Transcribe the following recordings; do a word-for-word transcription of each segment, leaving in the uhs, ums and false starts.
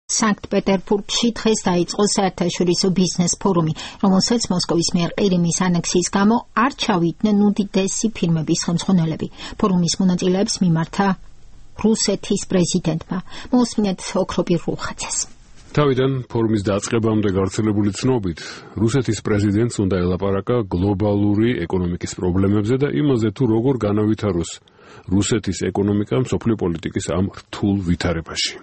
სანქტ-პეტერბურგში დღეს დაიწყო საერთაშორისო ბიზნეს ფორუმი, რომელსაც მოსკოვის მიერ ყირიმის ანექსიის გამო არ ჩავიდნენ უდიდესი ფირმების ხელმძღვანელები. ფორუმის მონაწილეებს მიმართა რუსეთის პრეზიდენტმა. მოусმინეთ ოქრობირ რუხაძეს. თავიდან ფორუმის დაწყებამდე გავრცელებული ცნობით, რუსეთის პრეზიდენტს უნდა ელაპარაკა გლობალური ეკონომიკის პრობლემებზე და იმაზე, თუ როგორ განავითაროს რუსეთის ეკონომიკა მსოფლიო პოლიტიკის ამ რთულ ვითარებაში.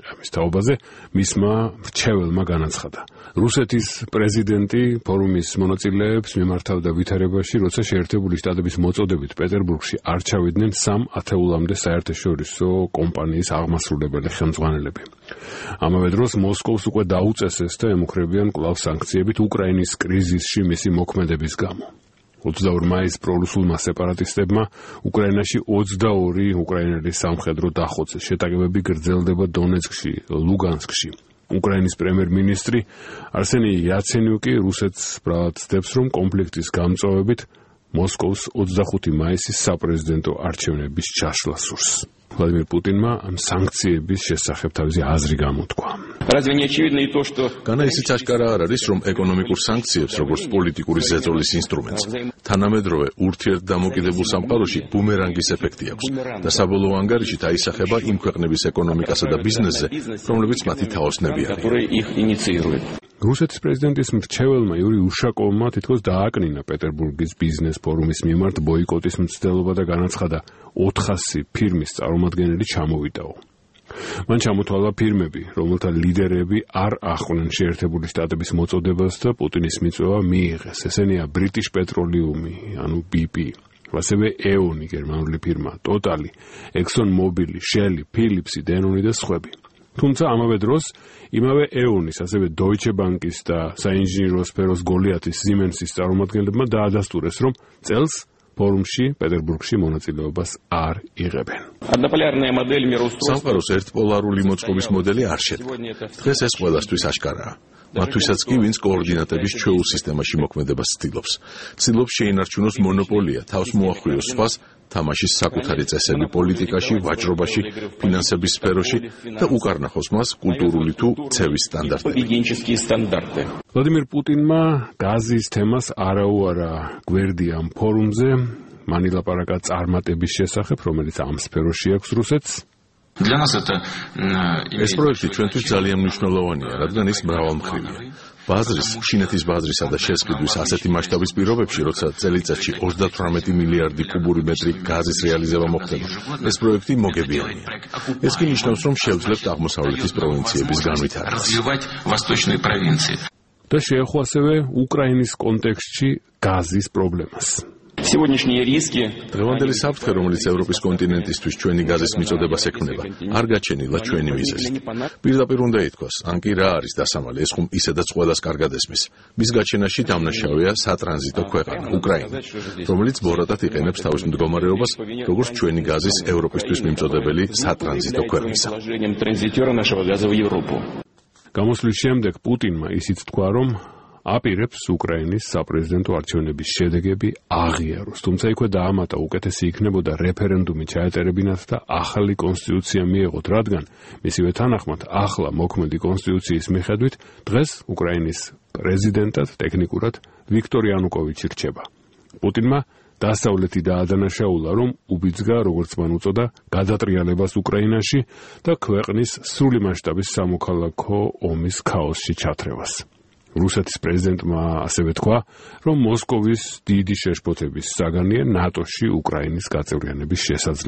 ამის თაობაზე მისმა მრჩეველმა განაცხადა. რუსეთის პრეზიდენტი ფორუმის მონაწილეებს მიმართავდა ვითარებაში, როცა შეერთებული შტატების მოწოდებით პეტერბურგში არ ჩავიდნენ სამ ათეულამდე საერთაშორისო კომპანიის აღმასრულებელი ხელმძღვანელები. ამავე დროს მოსკოვს უკვე დაუწესეს და ემუქრებიან კვლავ სანქციებით უკრაინის კრიზისში მისი მოქმედების გამო. ოცდაორი მაისს პრორუსულმა სეპარატისტებმა უკრაინაში ოცდაორი უკრაინელი სამხედრო დახოცეს. შეტაკებები გრძელდება დონეცკში, ლუგანსკში. უკრაინის პრემიერ-მინისტრი არსენი იაცენიუკი რუსეთს ბრალად ცდებს, რომ კონფლიქტის გამწვავებით მოსკოვს ოცდახუთი მაისის საპრეზიდენტო არჩევნების ჩაშლა სურს. ვლადიმირ პუტინმა ამ სანქციების შესახებ თავისი აზრი გამოთქვა. განა ისიც აშკარა არ არის, რომ ეკონომიკურ სანქციებს, როგორც პოლიტიკური ზეწოლის ინსტრუმენტს, თანამედროვე ურთიერთდამოკიდებულ სამყაროში ბუმერანგის ეფექტი აქვს და საბოლოო ანგარიშით აისახება იმ ქვეყნების ეკონომიკასა და ბიზნესზე, რომლებიც მათი თაოსნები არიან. რუსეთის პრეზიდენტის მრჩეველმა იური უშაკოვმა თითქოს დააკნინა პეტერბურგის ბიზნეს ფორუმის მიმართ ბოიკოტის მცდელობა და განაცხადა ოთხასი ფირმის წარმომადგენელი ჩამოვიდაო. მან ჩამოთვალა ფირმები, რომელთა ლიდერები არ ახვნენ შეერთებული შტატების მოწოდებას და პუტინის მიწვევა მიიღეს. ესენია ბრიტიშ პეტროლიუმი, ანუ ბი პი, ასევე ეონი გერმანული ფირმა, ტოტალი, ექსონ მობილი, შელი, ფილიპსი, დენონი და სხვები. თუმცა ამავე დროს იმავე ეონის, ასევე დოიჩე ბანკის და საინჟინრო სფეროს გოლიათის სიმენსის წარმომადგენლებმა დაადასტურეს, რომ წელს ფორუმში პეტერბურგში მონაწილეობას არ იღებენ. სამყაროს ერთპოლარული მოწყობის მოდელი არ შედგა. დღეს ეს ყველასთვის აშკარაა. მათთვისაც კი, ვინც კოორდინატების ჩვეულ სისტემაში მოქმედებას ცდილობს. ცდილობს შეინარჩუნოს მონოპოლია, თავს მოახვიოს სხვას, თამაშის საკუთარი წესები პოლიტიკაში, ვაჭრობაში, ფინანსების სფეროში და უკარნახოს მას კულტურული თუ ცევის სტანდარტები. ვლადიმირ პუტინმა გაზის თემას არაუარა გვერდი ამ ფორუმზე, მან ილაპარაკა წარმატების შესახებ, რომელიც ამ სფეროში აქვს რუსეთს. ეს პროექტი ჩვენთვის ძალიან მნიშვნელოვანია, რადგან ის მრავალმხრივია. ბაზრის, ჩინეთის ბაზრისა და შესყიდვის ასეთი მასშტაბის პირობებში, როცა წელიწადში ოცდათვრამეტი მილიარდი კუბური მეტრი გაზის რეალიზება მოხდება, ეს პროექტი მოგებიანია. ეს კი ნიშნავს, რომ შევძლებთ აღმოსავლეთის პროვინციების განვითარებას. და შეეხო ასევე უკრაინის კონტექსტში გაზის პრობლემას. დღევანდელი საფრთხე, რომელიც ევროპის კონტინენტისთვის ჩვენი გაზის მიწოდებას ექმნება, არ გაჩენილა ჩვენი მიზეზით. პირდაპირ უნდა ითქვას, ან კი რა არის დასამალი, ეს ხომ ისედაც ყველას კარგად ესმის. მის გაჩენაში დამნაშავეა სატრანზიტო ქვეყანა, უკრაინა, რომელიც ბორატად იყენებს თავის მდგომარეობას, როგორც ჩვენი გაზის ევროპისთვის მიმწოდებელი სატრანზიტო ქვეყნისა. გამოსვლის შემდეგ პუტინმა ისიც თქვა, რომ აპირებს უკრაინის საპრეზიდენტო არჩევნების შედეგები აღიაროს. თუმცა იქვე დაამატა, უკეთესი იქნებოდა რეფერენდუმი ჩაეტერებინათ და ახალი კონსტიტუცია მიეღოთ, რადგან მისივე თანახმად ახლა მოქმედი კონსტიტუციის მიხედვით დღეს უკრაინის პრეზიდენტად ტექნიკურად ვიქტორ იანუკოვიჩი რჩება. პუტინმა დასავლეთი დაადანაშაულა, რომ უბიძგა, როგორც მან უწოდა, გადატრიალებას უკრაინაში და ქვეყნის სრული მასშტაბის სამოქალაქო ომის ქაოსში ჩათრევას. რუსეთის პრეზიდენტმა ასევე თქვა, რომ მოსკოვის დიდი შეშფოთების საგანია ნატოში უკრაინის გაწევრიანების შესაძლებლობა.